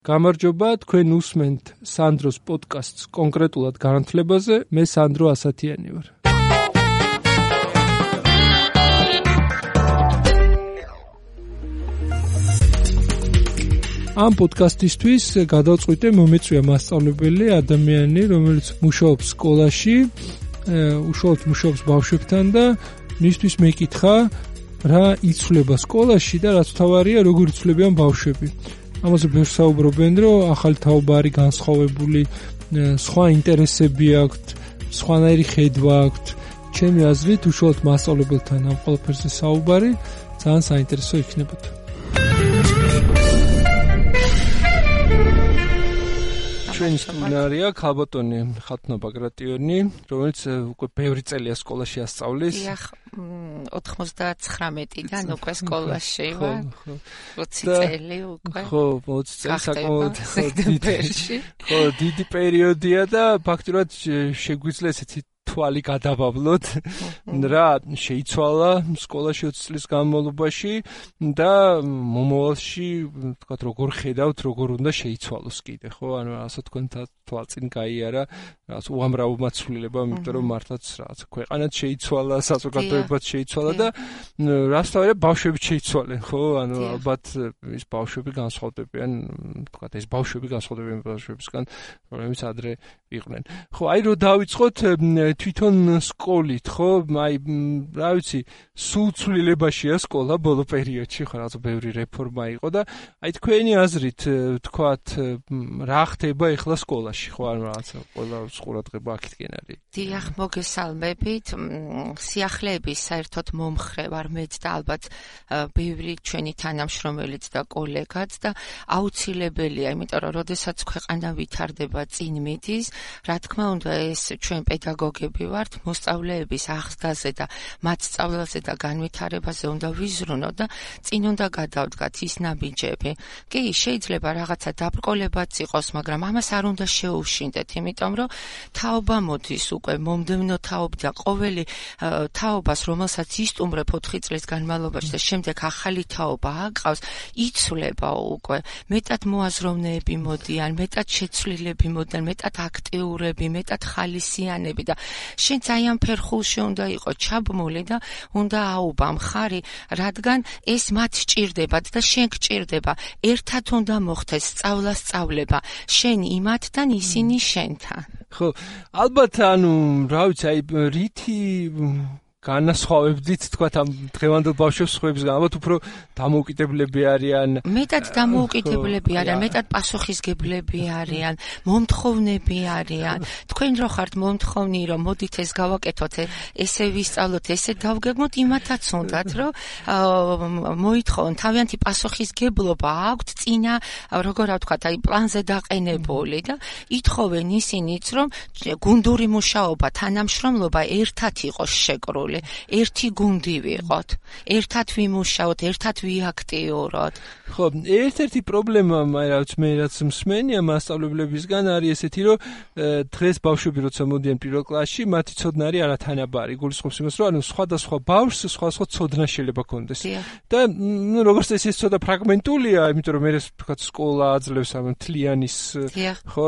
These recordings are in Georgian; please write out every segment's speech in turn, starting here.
გამარჯობა, თქვენ უსმენთ სანდროს პოდკასტს კონკრეტულად განათლებაზე, მე სანდრო ასათიანი ვარ. ამ პოდკასტისთვის გადავწყვიტე მომეწვია მასწავლებელი ადამიანი, რომელიც მუშაობს სკოლაში, მუშაობს ბავშვებთან და მისთვის მეკითხა რა იცვლება სკოლაში და რაც თავარია როგორ იცვლებიან ბავშვები. ამაზე ბევრს საუბრობენ, რომ ახალი თაობა არის განსხვავებული, სხვა ინტერესები აქვთ, სხვანაირი ხედვა აქვთ. ჩემი აზრით, უშუალოდ მასწავლებელთან ამ ყველაფერზე საუბარი ძალიან საინტერესო იქნებოდა. ჩვენი სტუმარია ქალბატონი ხათუნა ბაგრატიონი, რომელიც უკვე ბევრი წელია სკოლაში ასწავლის. 99-დან უკვე სკოლაში ვარ. 20 წელი უკვე. ხო, 20 წელი საკმაოდ დიდი პერიოდია და ფაქტურად შეგვიძლია ესეთი თვალი გადავავლოთ, რა შეიცვალა სკოლაში 20 წლის განმავლობაში და მომავალში, თქვათ, როგორ ხედავთ, როგორ უნდა შეიცვალოს კიდე, ხო? ანუ ასე თქვენ თვალწინ გაიარა, რაღაც უამრავ მაცვლილებამ, იმიტომ რომ მართლაც რაღაც ქვეყანაც შეიცვალა, საზოგადოებაც შეიცვალა და რას თავია ბავშვები შეიცვალენ, ხო? ანუ ალბათ ის ბავშვები განსხვავდებიან, თქვათ, ეს ბავშვები განსხვავდებიან ბავშვებისგან, რომლებიც ადრე იყვნენ. ხო, აი რო დავიწყოთ თვითონ სკოლით, ხო? აი, რა ვიცი, სულ ცვლილებაშია სკოლა ბოლო პერიოდში, ხო, რაღაცა ბევრი რეფორმა იყო და აი თქვენი აზრით, თქვათ, რა ხდება ახლა სკოლაში, ხო? ანუ რაღაცა ყველა ყურადღება აქეთკენ არის. დიახ, მოგესალმებით. სიახლეების საერთოდ მომხრე ვარ მეც და ალბათ ბევრი ჩვენი თანამშრომელიც და კოლეგაც და აუცილებელია, იმიტომ რომ როდესაც ქვეყანა ვითარდება წინ მიდის, რა თქმა უნდა, ეს ჩვენ პედაგოგები ვართ, მოსწავლეების აღზრდაზე და მათ სწავლაზე და განვითარებაზე უნდა ვიზრუნოთ და წინ უნდა გადავდგათ ის ნაბიჯები. კი, შეიძლება რაღაცა დაბრკოლებაც იყოს, მაგრამ ამას არ უნდა შეუშინდეთ, იმიტომ რომ თაობა მოდის უკვე მომდევნო თაობა და ყოველი თაობას, რომელსაც ისტუმრებ 4 წლის განმავლობაში და შემდეგ ახალი თაობა აკრავს, იცვლება უკვე. მეტად მოაზროვნეები მოდიან, მეტად შეცვლილები მოდიან, მეტად აქტიურები, მეტად ხალისიანები და შენ ძალიან ფერხულში უნდა იყო ჩაბმული და უნდა აუბა მხარი, რადგან ეს მათ სჭირდებათ და შენ გჭირდება. ერთად უნდა მოხდეს სწავლება. შენ იმათთან, ისინი შენთან. ხო, ალბათ ანუ რა ვიცი, აი რითი განასხვავებდით, თქვათ, ამ დღევანდელ ბავშვებს სხვებისგან, ალბათ უფრო დამოუკიდებლები არიან. მეტად დამოუკიდებლები არიან, მეტად პასუხისგებლები არიან, მომთხოვნები არიან. თქვენ რო ხართ მომთხოვნი, რომ მოდით ეს გავაკეთოთ, ესე ვისწავლოთ, ესე დავგეგმოთ, იმათაც უნდათ, რომ მოითხოვონ, თავიანთი პასუხისგებლობა აქვთ წინა, როგორ ვთქვათ, აი პლანზე დაყენებული და ითხოვენ ისინიც, რომ გუნდური მუშაობა, თანამშრომლობა ერთად იყოს შეკრული. ერთი გუნდი ვიყოთ, ერთად ვიმუშაოთ, ერთად ვიაქტიუროთ. ხო, ერთ-ერთი პრობლემა, მე რაც მსმენია მასწავლებლებისგან არის ესეთი, რომ დღეს ბავშვები როცა მოდიან პირველ კლასში, მათი ცოდნა არის არათანაბარი. გულისხმობს იმას, რომ ანუ სხვადასხვა ბავშვს სხვადასხვა ცოდნა შეიძლება კონდეს. და როგორც წესი ეს ცოტა ფრაგმენტულია, იმიტომ რომ მე თქვა სკოლა აძლევს ამ მთლიანის, ხო,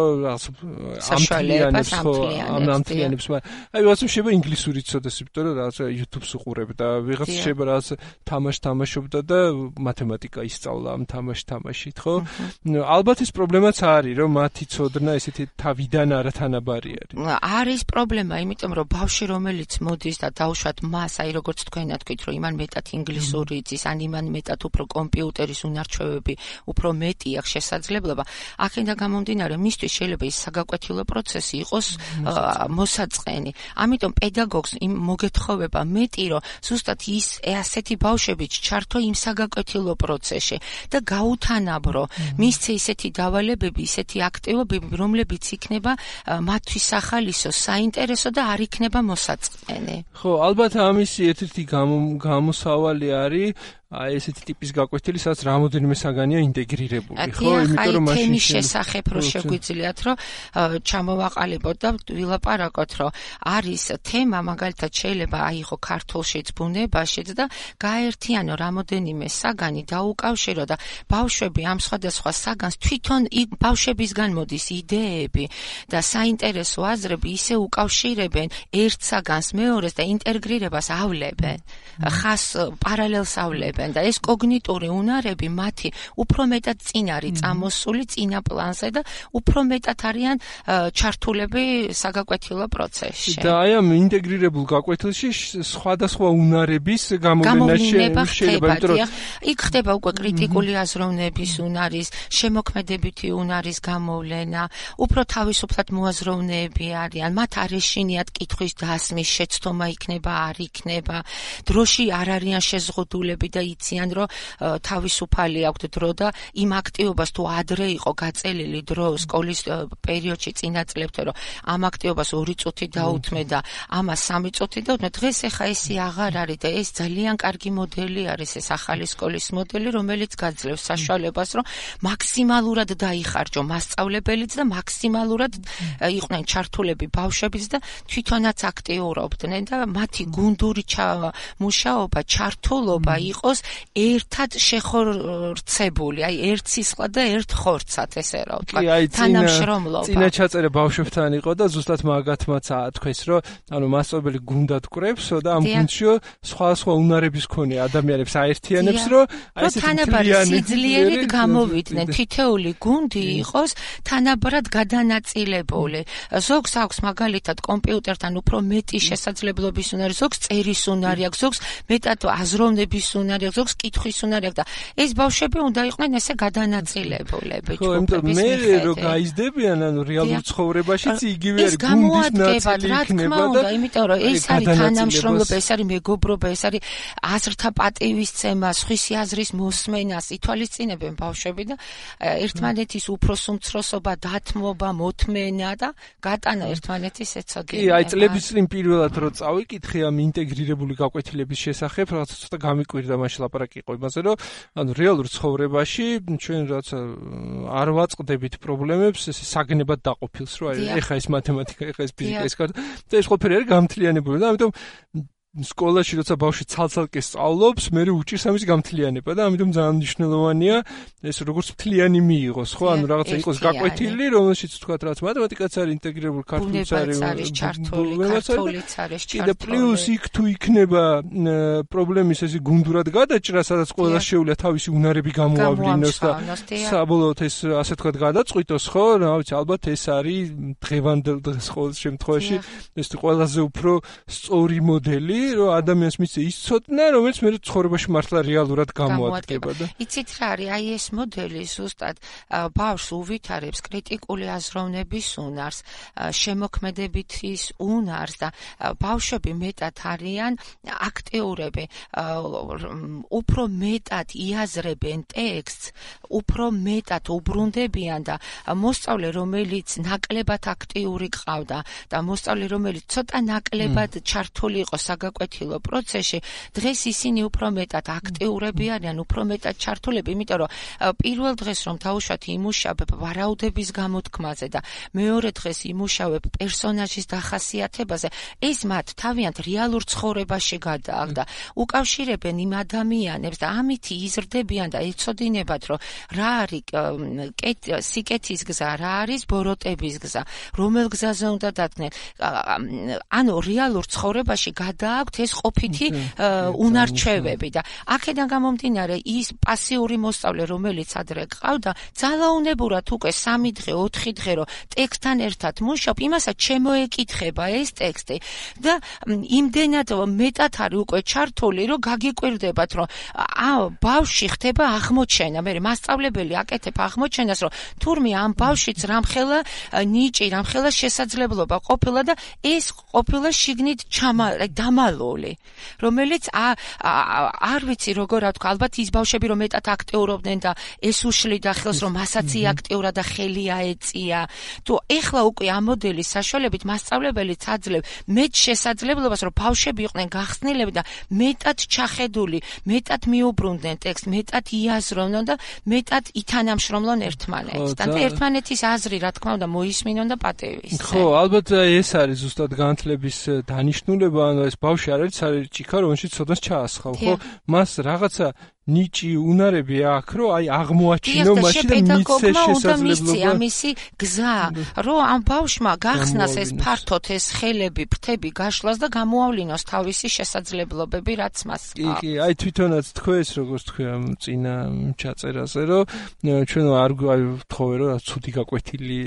ამთლიანებს, აი ვაცი შეიძლება ინგლისური ცოდეს, იმიტომ რომ YouTube-ს უყურებ და ვიღაც შეიძლება რაღაც თამაშობდა და მათემატიკა ისწავლა ამ თამაშით, ხო? ალბათ ეს პრობლემაც არის, რომ მათი ცოდნა ესეთი თავიდან არათანაბარი არის. არის პრობლემა, იმიტომ რომ ბავშვი რომელიც მოდის და დაუშვათ მას, აი როგორც თქვენად თქვით, რომ იმან მეტად ინგლისური იცის, ან იმან მეტად უფრო კომპიუტერის უნარჩვევები, უფრო მეტი აქვს შესაძლებლობა. აქედან გამომდინარე, მისთვის შეიძლება ის საგაკვეთილო პროცესი იყოს მოსაწყენი. ამიტომ პედაგოგს იმ მოგეთხოვება მეტი, რომ ზუსტად ის ასეთი ბავშვები ჩართო იმ საგაკვეთილო პროცესში და გაუთანაბრო, მისცე ისეთი დავალებები, ისეთი აქტივობები, რომლებიც იქნება მათთვის ახალისო, საინტერესო და არ იქნება მოსაწყენი. ხო, ალბათ ამის ერთ-ერთი გამოსავალი არის აი ესეთი ტიპის გაკვეთილი, სადაც რამოდენიმე საგანია ინტეგრირებული, ხო? იმიტომ რომ მაშინ თემის შესახებ რო შეგვიძლიათ, რომ ჩამოვაყალიბოთ და ვილაპარაკოთ, რომ არის თემა, მაგალითად შეიძლება აიღო ქართულშიც, ბუნებაშიც და გაერთიანო რამოდენიმე საგანი დაუკავშირო და ბავშვები ამ სხვადასხვა საგანს თვითონ ბავშვებისგან მოდის იდეები და საინტერესო აზრები ისე უკავშირებენ ერთ საგანს მეორეს და ინტეგრირებას ავლებენ, ხას პარალელს ავლებენ და ეს კოგნიტური უნარები მათი უფრო მეტად წინ არის წამოსული წინა პლანზე და უფრო მეტად არიან ჩართულები საგაკვეთილო პროცესში. და აი ამ ინტეგრირებულ გაკვეთილში სხვადასხვა უნარების გამოვლინება შეიძლება, იქ ხდება უკვე კრიტიკული აზროვნების უნარის, შემოქმედებითი უნარის გამოვლენა, უფრო თავისუფლად მოაზროვნეები არიან, მათ არ ეშინიათ კითხვის დასმის შეცდომა იქნება, არ იქნება, დროში არ არიან შეზღუდულები და იციან, რომ თავისუფალი აქვთ დრო და იმ აქტივობას თუ ადრე იყო გაწელილი დრო სკოლის პერიოდში წინა წლებთან, რომ ამ აქტივობას 2 წუთი დაუთმე და ამას 3 წუთი დაუთმე, დღეს ახლა ესე აღარ არის და ეს ძალიან კარგი მოდელი არის, ეს ახალი სკოლის მოდელი, რომელიც გაძლევს საშუალებას, რომ მაქსიმალურად დაიხარჯო მასწავლებელიც და მაქსიმალურად იყვნენ ჩართულები ბავშვებიც და თვითონაც აქტიურობდნენ და მათი გუნდური მუშაობა, ჩართულობა იყოს ერთად შეხორცებული, აი ერთ სისხლად და ერთ ხორცად, ესე რა ვთქვა, თანამშრომლობა. წინა ჩაწერა ბავშვებთან იყო და ზუსტად მაგათმაც თქვეს, რომ ანუ მასწავლებელი გუნდად კრებსო და ამ გუნდში სხვა უნარების მქონე ადამიანებს აერთიანებს, რომ აი ესეთი თანაბარი სიძლიერით გამოვიდნენ, თითეული გუნდი იყოს თანაბრად გადანაწილებული. ზოგს აქვს მაგალითად კომპიუტერთან უფრო მეტი შესაძლებლობის უნარი, ზოგს წერის უნარი აქვს, ზოგს მეტად აზროვნების უნარი აქვს, ზოგს კითხვის უნარი აქვს და ეს ბავშვები უნდა იყვნენ ესე გადანაწილებულები. ხო, იმიტომ მე რო გაიზრდებიან, ანუ რეალურ ცხოვრებაშიც იგივე არის გუნდის ნაწილი იქნება და იმიტომ რომ ეს არის თანამშრომლობა, ეს არის მეგობრობა, ეს არის აზრთა პატივისცემა, სხვისი აზრის მოსმენას ითვალისწინებენ ბავშვები და ერთმანეთის უფროს უმცროსობა, დათმობა, მოთმენა და გატანა ერთმანეთის ეცოდინება. კი, აი წლების წინ პირველად რო წავიკითხე ამ ინტეგრირებული გაკვეთილების შესახებ, რაღაცა ცოტა გამიკვირდა მაშინ ლაპარაკი იყო იმაზე, რომ ანუ რეალურ ცხოვრებაში ჩვენ რაღაცა არ ვაწყდებით პრობლემებს, ეს საგნებად დაყოფილს, რომ აი ეხა ეს მათემატიკა, ეხა ეს ფიზიკა, ეს კარტა და ეს ყველაფერი არის გამთლიანებული და ამიტომ სკოლაში როცა ბავშვი ცალ-ცალკე სწავლობს, მე უჭირს ამის გამთლიანება და ამიტომ ძალიან მნიშვნელოვანია ეს როგორც მთლიანი მიიღოს, ხო? ანუ რაღაცა იყოს გაკვეთილი, რომელშიც თქვა რაც მათემატიკაც არის ინტეგრირებული, ქართულიც არის ჩართული, ქართულიც არის ჩართული. და პლუს იქ თუ იქნება პრობლემის ესე გუნდურად გადაჭრა, სადაც ყველა შეუძლია თავისი უნარები გამოავლინოს და საბოლოოდ ეს ასე თქვა გადაწყვიტოს, ხო? რა ვიცი, ალბათ ეს არის დღევანდელ დღეს ყოველ შემთხვევაში ეს ყველაზე უფრო სწორი მოდელი რომ ადამიანს მისცე ის ცოდნა, რომელიც მე ცხოვრებაში მართლა რეალურად გამოადგება და იცით რა არის, აი ეს მოდელი ზუსტად ბავშვს უვითარებს კრიტიკული აზროვნების უნარს, შემოქმედებითის უნარს და ბავშვები მეტად არიან აქტიურები, უფრო მეტად იაზრებენ ტექსტს, უფრო მეტად უბრუნდებიან და მოსწავლე, რომელიც ნაკლებად აქტიური ყავდა და მოსწავლე, რომელიც ცოტა ნაკლებად ჩართული იყო საკვეთილო პროცესში, დღეს ისინი უფრო მეტად აქტიურები არიან, უფრო მეტად ჩართულები, იმიტომ რომ პირველ დღეს რომ დავუშვათ იმუშავებ ვარაუდების გამოთქმაზე და მეორე დღეს იმუშავებ პერსონაჟის დახასიათებაზე, ეს მათ თავიანთ რეალურ ცხოვრებაში გადააგდა. უკავშირებენ იმ ადამიანებს და ამით იზრდებიან და ეცოდინებათ, რომ რა არის სიკეთის გზა, რა არის ბოროტების გზა, რომელ გზაზე უნდა დადგნენ. ანუ რეალურ ცხოვრებაში გადააქვთ ეს ყოფითი უნარჩვევები და აქედან გამომდინარე ის პასიური მოსწავლე, რომელიც ადრე ყავდა, ძალაუნებურად უკვე 3 დღე, 4 დღე რომ ტექსტთან ერთად მუშაობ, იმასაც შემოეკითხება ეს ტექსტი და იმდენად მეტად არის უკვე ჩართული, რომ გაგიკვირდებათ, რომ ბავშვი ხდება აღმოჩენა, მე მასწავლებელი აკეთებ აღმოჩენას, რომ თურმე ამ ბავშვიც რამხელა ნიჭი, რამხელა შესაძლებლობა ყოფილა და ეს ყოფილა შიგნით ნორმალური, რომელიც არ ვიცი როგორ რა თქვა, ალბათ ის ბავშვები რომ მეტად აქტიურობდნენ და ეს უშლიდა ხელს რომ მასაც აქტიურა და ხელი აეწია. თუ ეხლა უკვე ამ მოდელის საშუალებით მასწავლებელიც აძლევს მეტ შესაძლებლობას რომ ბავშვები იყვნენ გახსნილები და მეტად ჩახედული, მეტად მიუბრუნდნენ ტექსტს, მეტად იაზროვნონ და მეტად ითანამშრომლონ ერთმანეთს. და ერთმანეთის აზრი რა თქმა უნდა მოისმინონ და პატივისცემ. ხო, ალბათ ეს არის ზუსტად განათლების დანიშნულება, ანუ ეს ბავშვი არ არის ჭიქა, რომელშიც ცოდნას ჩაასხავ, ხო? მას რაღაცა ნიჭი უნარები აქვს, რომ აი აღმოაჩინო მაშინ და მიცე შესაძლებლობა. ამისი გზა, რომ ამ ბავშვმა გახსნას ეს ფართოდ ეს ხელები, ფრთები გაშლას და გამოავლინოს თავისი შესაძლებლობები, რაც მას აქვს. კი, აი თვითონაც თქვეს, როგორც თქვი ამ წინა ჩაწერაზე, რომ ჩვენ არ ვთხოვე, რომ ცუდი გაკვეთილი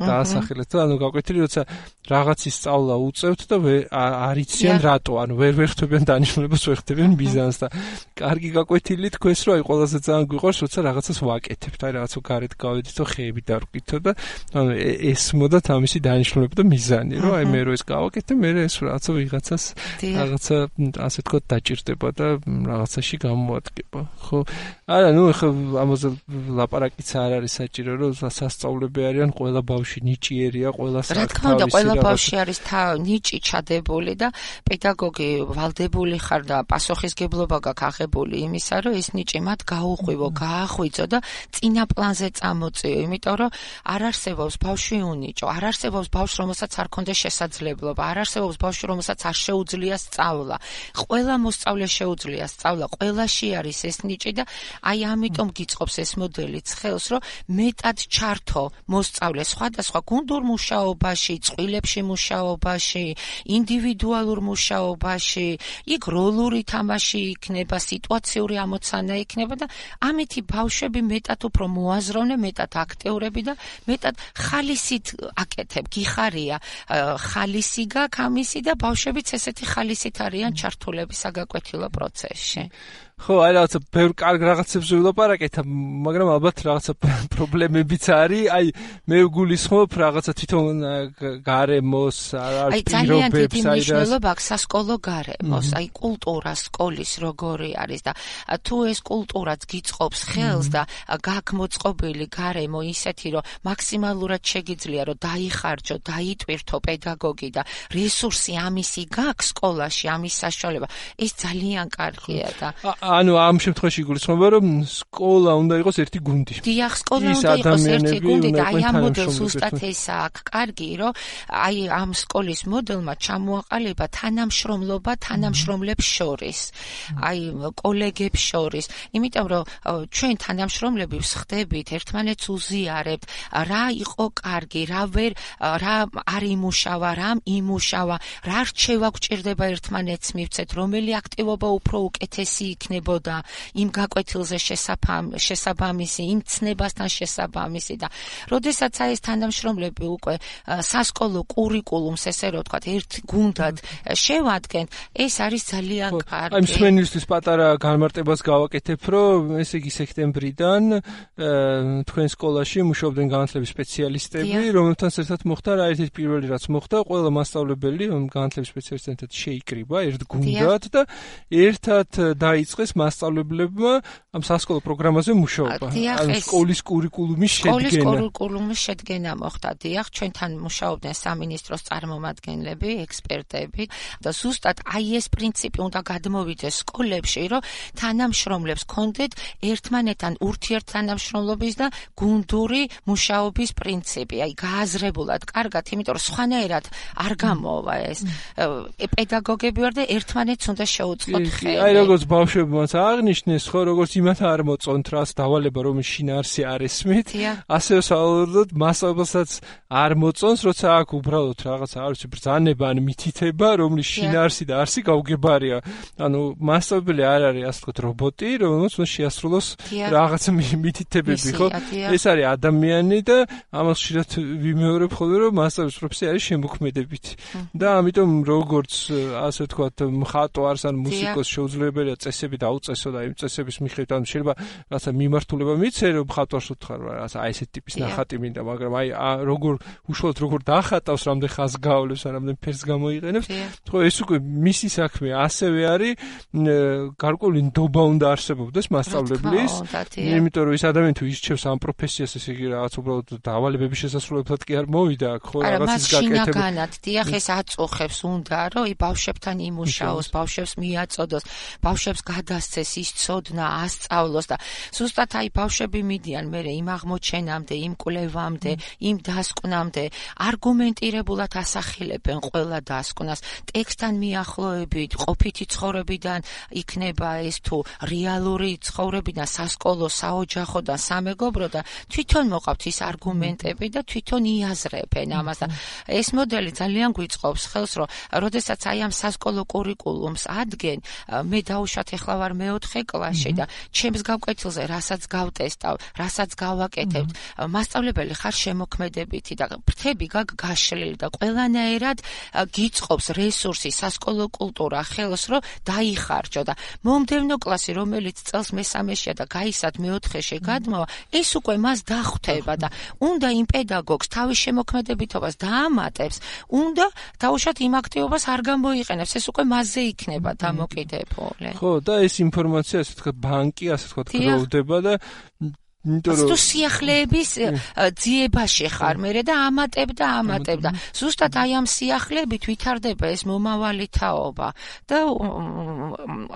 დაასახელეთ, ანუ გაკვეთილი, როცა რაღაცის სწავლა უწევთ და არ იციან რატო, ანუ ვერ ხვდებიან დანიშნულებას, ვერ ხვდებიან მიზანს და კარგი გაკვეთილი თქვეს რომ აი ყველაზე ძალიან გვიყვარს როცა რაღაცას ვაკეთებთ, აი რაღაცა გარეთ გავედით და ხეები დავკითხო და ანუ ესმოდათ ამისი დანიშნულება და მიზანი, რომ აი მე რო ეს გავაკეთე, მე ეს რაღაცა ვიღაცას რაღაცა ასე თქო დაჭირდება და რაღაცაში გამოადგება. ხო? არა, ნუ ხა ამაზე ლაპარაკიც არ არის საჭირო, რომ სასწავლებელი არიან, ყველა ბავშვი ნიჭიერია, ყველა რა თქმა უნდა, ყველა ბავშვი არის ნიჭი ჩადებული და პედაგოგი ვალდებული ხარ და პასუხისგებლობა გაქვს აღებული იმისა, რომ ეს ნიჭი მათ გაუღვივო, გაახვიძო და წინა პლანზე წამოწიო, იმიტომ რომ არ არსებობს ბავშვი უნიჭო, არ არსებობს ბავშვი, რომელსაც არ ქონდეს შესაძლებლობა, არ არსებობს ბავშვი, რომელსაც არ შეუძლია სწავლა. ყველა მოსწავლეს შეუძლია სწავლა, ყველაში არის ეს ნიჭი და აი ამიტომ გიწყობს ეს მოდელიც ხელს, რომ მეტად ჩართო მოსწავლე სხვადასხვა გუნდურ მუშაობაში, წყვილებში მუშაობაში, ინდივიდუალურ მუშაობაში, იქ როლური თამაში იქნება, სიტუაციური ამოცანა იქნება და ამითი ბავშვები მეტად უფრო მოაზროვნე, მეტად აქტიურები და მეტად ხალისით აკეთებ, გიხარია ხალისი გაქვს ამისი და ბავშვებიც ესეთი ხალისით არიან ჩართულები საგაკვეთილო პროცესში. ხო, აი რაღაცა ბევრ კარგ რაღაცებს ვილაპარაკეთ, მაგრამ ალბათ რაღაცა პრობლემებიც არის. აი მე ვგულისხმობ რაღაცა თვითონ გარემოს, აი ძალიან დიდი მნიშვნელობა აქვს სასკოლო გარემოს, აი კულტურა სკოლის როგორი არის და თუ ეს კულტურაც გიწყობს ხელს და გაქვს მოწყობილი გარემო ისეთი, რომ მაქსიმალურად შეგიძლია რომ დაიხარჯო, დაიტვირთო პედაგოგი და რესურსი ამისი გაქვს სკოლაში, ამის საშუალება, ეს ძალიან კარგია და ანუ ამ შემთხვევაში გულისხმობა რომ სკოლა უნდა იყოს ერთი გუნდი. დიახ, სკოლა უნდა იყოს ერთი გუნდი და აი ამ მოდელს ზუსტად ესა აქვს კარგი, რომ აი ამ სკოლის მოდელმა ჩამოაყალიბა თანამშრომლობა თანამშრომლებს შორის, აი კოლეგებს შორის, იმიტომ რომ ჩვენ თანამშრომლები ვსხდებით, ერთმანეთს უზიარებთ, რა იყო კარგი, რა არ იმუშავა, რა იმუშავა, რა რჩევა გვჭირდება ერთმანეთს მივცეთ, რომელი აქტივობა უფრო უკეთესი იქნებოდა იმ გაკვეთილზე შესაბამისი, იმ ცნებასთან შესაბამისი და როდესაც აი ეს თანამშრომლები უკვე სასკოლო კურიკულუმს ესე რომ ვთქვათ, ერთ გუნდად შევადგენთ, ეს არის ძალიან კარგი. აი მსმენელისთვის პატარა განმარტებას გავაკეთებ, რომ ესე იგი სექტემბრიდან თქვენ სკოლაში მუშაობდნენ განათლების სპეციალისტები, რომელთანაც ერთად მოხდა რა ერთ-ერთი პირველი რაც მოხდა, ყველა მასწავლებელი განათლების სპეციალისტებთან შეიკრიბა ერთ გუნდად და ერთად დაიწყეს მასწავლებლებმა ამ სასკოლო პროგრამაზე მუშაობა. ანუ სკოლის კურიკულუმის შედგენა. სკოლის კურიკულუმის შედგენა მოხდა. დიახ, ჩვენთან მუშაობდნენ სამინისტროს წარმომადგენლები, ექსპერტები და ზუსტად აი ეს პრინციპი უნდა გადმოვიდეს სკოლებში, რომ თანამშრომლებს კონდეთ ერთმანეთთან ურთიერთთანამშრომლობის და გუნდური მუშაობის პრინციპი. აი გააზრებულად კარგად, იმიტომ რომ სხვანაირად არ გამოვა ეს. პედაგოგები ვარ და ერთმანეთს უნდა შეუწყოთ ხელი. აი როგორც ბავშვებმაც აღნიშნეს, ხო, როგორც იმათ არ მოწონთ რას დავალება, რომ შინაარსი არ ესმით, ასევე საავადმყოფოდ მასწავლებელსაც არ მოწონს, როცა აქ უბრალოდ რაღაცა არ ვიცი ბრძანება ან მითითება, რომლის შინაარსი და არსი გაუგებარია. ანუ მასწავლებელი არ არის ასე ვთქვათ რობოტი, რომელსაც უნდა შეასრულოს რაღაცა მითითებები, ხო? ეს არის ადამიანი და ამას ხშირად ვიმეორებ ხოლმე, რომ მასწავლებლის პროფესია არის შემოქმედებით. და ამიტომ როგორც ასე ვთქვათ მხატვარს ან მუსიკოს შეუძლებელია წესები დაუწესო და იმ წესების მიხედვით ან შეიძლება რაღაცა მიმართულება მიცე რომ ხატვარს უთხრა რაღაცა აი ესეთი ტიპის ნახატი მინდა მაგრამ აი როგორ უშუალოდ როგორ დახატავს რამდენ ხაზს გავლებს ან რამდენ ფერს გამოიყენებს ხო ეს უკვე მისი საქმე ასევე არის გარკვეული ნდობა უნდა არსებობდეს მასწავლებლის იმიტომ რომ ის ადამიანი თუ ისჩევს ამ პროფესიას ესე იგი რაღაც უბრალოდ დავალებების შესასრულებლად კი არ მოვიდა ხო რაღაცის გაკეთება დიახ ეს აწუხებს უნდა რომ ბავშვებთან იმუშაოს ბავშვებს მიაწოდოს ბავშვებს გადასცეს ის ცოდნა ასწავლოს და ზუსტად აი ბავშვები მიდიან მე იმ აღმოჩენამდე იმ კვლევამდე იმ დასკვნამდე არგუმენტირებულად ასახელებენ ყველა დასკვნას ტექსტთან მიახლოებით ყოფითი ცხოვრებიდან იქნება ეს თუ რეალური ცხოვრებიდან სასკოლო საოჯახო და სამეგობრო და თვითონ მოყავთ ის არგუმენტები და თვითონ იაზრებენ ამას და ეს მოდელი ძალიან გვიწყობს ხელს რომ როდესაც აი ამ სასკოლო კურიკულუმს ადგენ მე დავუშვათ ახლა ვარ მე-4 კლასში და ჩემს გავკვეთილზე რასაც გავტესტავ რასაც გავაკეთებთ მასწავლებელი ხარ შემოქმედებითი და ფრთები გაშლილი და ყველანაირად გიწყობს რესურსი სასკოლო კულტურა ხელს რომ დაიხარჯო და მომდევნო კლასი რომელიც წელს მე-3-შია და გაისად მე-4-ში გადმოვა ეს უკვე მას დახვდება და უნდა იმ პედაგოგს თავის შემოქმედებითობას დაამატებს უნდა დაუშვათ იმ აქტივობას არ გამოიყენებს ეს უკვე მასზე იქნება დამოკიდებული ხო და ეს ინფორმაცია ასე თქვა ბანკი ასე თქვა გროვდება და თუ სიახლეების ძიებაში ხარ მერე და ამატებ და ზუსტად აი ამ სიახლეებით ვითარდება ეს მომავალი თაობა და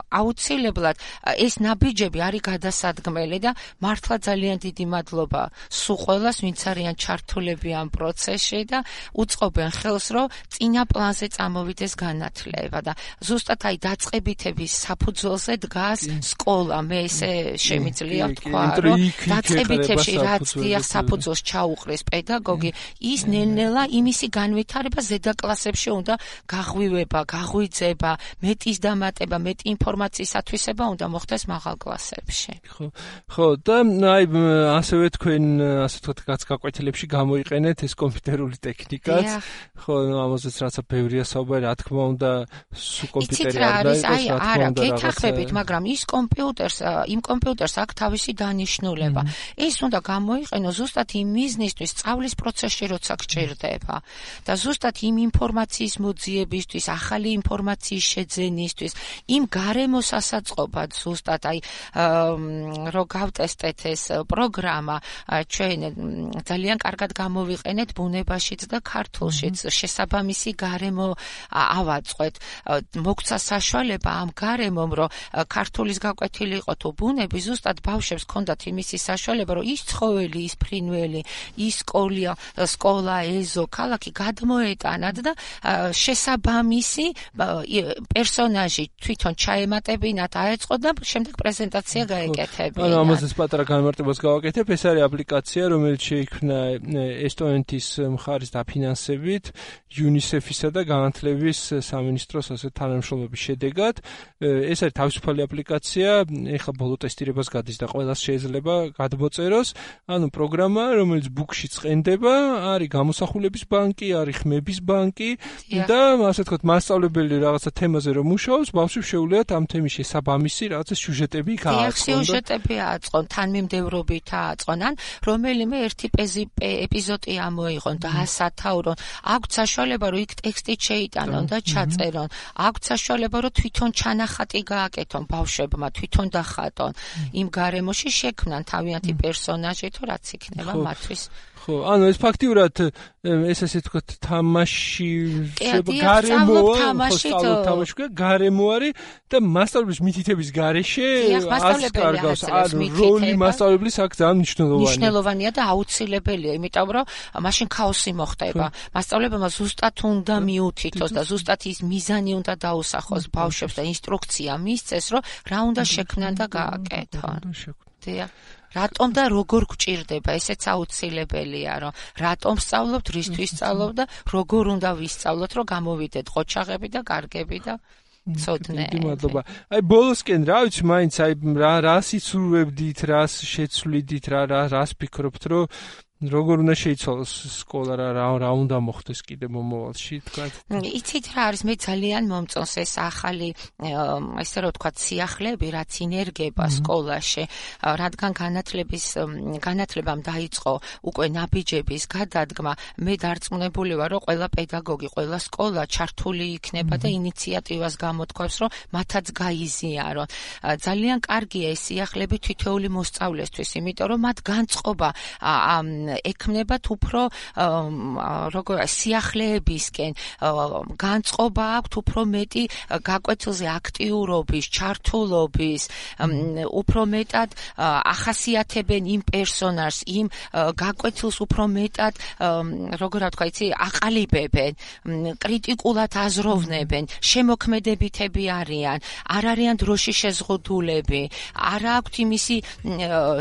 აუცილებლად ეს ნაბიჯები არის გადასადგმელი და მართლა ძალიან დიდი მადლობა სულ ყველას ვინც არიან ჩართულები ამ პროცესში და უწყობენ ხელს რომ წინა პლანზე წამოვიდეს განათლება და ზუსტად აი დაწყებითების საფუძველზე დგას სკოლა მე ესე შემიძლია ვთქვა რომ დაწყებითებში რაც დიახ საფუძველს ჩაუყრის პედაგოგი ის ნელ-ნელა იმისი განვითარება ზედა კლასებში უნდა გაღვივება, გაღვიძება, მეტის დამატება, მეტი ინფორმაციის ათვისება უნდა მოხდეს მაღალ კლასებში. ხო და აი ასევე თქვენ ასე ვთქვათ გაკვეთილებში გამოიყენეთ ეს კომპიუტერული ტექნიკაც. ხო, ამაზეც რაცა ბევრია საუბარი, რა თქმა უნდა, სულ კომპიუტერი არ დაიყოს, რა თქმა უნდა, გეთახმებით, მაგრამ ის იმ კომპიუტერს აქვს თავისი დანიშნულება. ეს უნდა გამოიყენოს ზუსტად იმ მიზნისთვის, სწავლის პროცესში როცა გჭირდება და ზუსტად იმ ინფორმაციის მოძიებისთვის, ახალი ინფორმაციის შეძენისთვის, იმ გარემოს ასაწყობად ზუსტად აი რო გავტესტეთ ეს პროგრამა, ჩვენ ძალიან კარგად გამოვიყენეთ ბუნებაშიც და ქართულშიც, შესაბამისი გარემო ავაწყვეთ. მოგცა საშუალება ამ გარემომ, რომ ქართულის გაკვეთილი იყო თუ ბუნები, ზუსტად ბავშვებს ჰქონდათ იმისი საშუალება, რომ ის ცხოველი, ის ფრინველი, ის სკოლა, ეზო, ქალაქი გადმოეტანათ და შესაბამისი პერსონაჟი თვითონ ჩაემატებინათ, აეწყოთ და შემდეგ პრეზენტაცია გაეკეთებინათ. ანუ ამაზეც პატარა განმარტებას გავაკეთებ, ეს არის აპლიკაცია, რომელიც შეიქმნა ესტონეთის მხარის დაფინანსებით, UNICEF-ისა და განათლების სამინისტროს ასე თანამშრომლობის შედეგად. ეს არის თავისუფალი აპლიკაცია, ეხლა ბოლო ტესტირებას გადის და ყველას შეიძლება გადმოწეროს. ანუ პროგრამა, რომელიც ბუქში ცხენდება, არის გამოსახულების ბანკი, არის ხმების ბანკი და ასე ვთქვათ, მასწავლებელი რაღაცა თემაზე რომ მუშაობს, ბავშვებს შეუძლიათ ამ თემის შესაბამისი რაღაცა სიუჟეტები გააწყონ. სიუჟეტები აწყონ, თანმიმდევრობით აწყონ, ან რომელიმე ერთი ეპიზოდი ამოიღონ და ასათაურონ. აქვთ საშუალება, რომ იქ ტექსტით შეიტანონ და ჩაწერონ. აქვთ საშუალება, რომ თვითონ ჩანახატი გააკეთონ ბავშვებმა, თვითონ დახატონ. იმ გარემოში შექმნან თავიანთი პერსონაჟი თუ რაც იქნება მათთვის. ხო, ანუ ეს ფაქტიურად ეს ასე ვთქვათ თამაში გარემოა, თამაში გარემო არის და მასწავლებლის მითითების გარეშე ასკარგავს როლი მასწავლებლის აქ ძალიან მნიშვნელოვანია და აუცილებელია, იმიტომ რომ მაშინ ქაოსი მოხდება. მასწავლებელმა ზუსტად უნდა მიუთითოს და ზუსტად ის მიზანი უნდა დაუსახოს ბავშვებს და ინსტრუქცია მისცეს, რომ რა უნდა შექმნან და გააკეთონ. რატომ და როგორ გჭირდება, ესეც აუცილებელია, რომ რატომ სწავლობთ, რისთვის სწავლობთ და როგორ უნდა ვისწავლოთ, რომ გამოვიდეთ ყოჩაღები და კარგები და ცოდნეები. მადლობა. აი ბოლოსკენ რა ვიცი, მაინც აი რას იცურვებდით, რას შეცვლიდით, რას ფიქრობთ, რომ როგორ უნდა შეიცვალოს სკოლა რა უნდა მოხდეს კიდე მომავალში თქვა? იცით რა არის, მე ძალიან მომწონს ეს ახალი ესე რომ ვთქვათ სიახლეები, რაც ინერგება სკოლაში, რადგან განათლებამ დაიწყო უკვე ნაბიჯების გადადგმა, მე დარწმუნებული ვარ, რომ ყველა პედაგოგი, ყველა სკოლა ჩართული იქნება და ინიციატივას გამოთქვამს, რომ მათაც გაიზიარონ. ძალიან კარგია ეს სიახლეები თითოეული მოსწავლესთვის, იმიტომ რომ მათ განწყობა ექმნებათ უფრო სიახლეებისკენ, განწყობა აქვთ უფრო მეტი გაკვეთილზე აქტიურობის, ჩართულობის, უფრო მეტად ახასიათებენ იმ პერსონაჟს, იმ გაკვეთილს უფრო მეტად, როგორ ვთქვა, აყალიბებენ, კრიტიკულად აზროვნებენ, შემოქმედებითები არიან, არ არიან დროში შეზღუდულები, არ აქვთ იმისი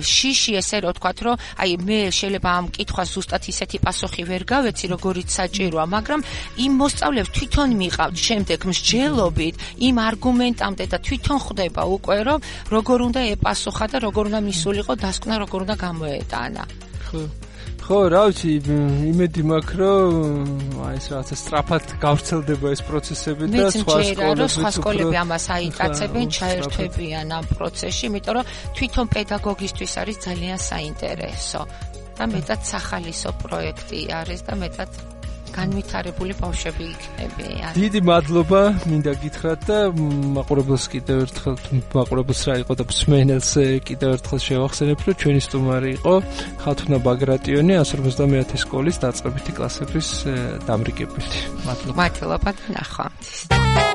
შიში, ესე რომ ვთქვათ, რომ აი მე შეიძლება ამ კითხვას ზუსტად ისეთი პასუხი ვერ გავეცი, როგორიც საჭიროა, მაგრამ იმ მოსწავლეებს თვითონ მიყავთ შემდეგ მსჯელობით, იმ არგუმენტამდე და თვითონ ხვდება უკვე, რომ როგორ უნდა ეპასუხა და როგორ უნდა მისულიყო დასკვნა, როგორ უნდა გამოეტანა. ხო, რა ვიცი, იმედი მაქვს, რომ ეს რაღაცა სწრაფად გავრცელდება ეს პროცესები და სხვა სკოლები ამას აიტაცებენ, ჩაერთვებიან ამ პროცესში, იმიტომ რომ თვითონ პედაგოგისთვის არის ძალიან საინტერესო და მეტად სახალისო პროექტი არის და მეტად განვითარებული ბავშვები იქნებიან. დიდი მადლობა, მინდა გითხრათ და მაყურებელს კიდევ ერთხელ, მაყურებელს რა იყო და მსმენელს კიდევ ერთხელ შევახსენებ, რომ ჩვენი სტუმარი იყო ხათუნა ბაგრატიონი 150 სკოლის დაწყებითი კლასების დამრიგებელი. მადლობა. მადლობა და ნახვამდის.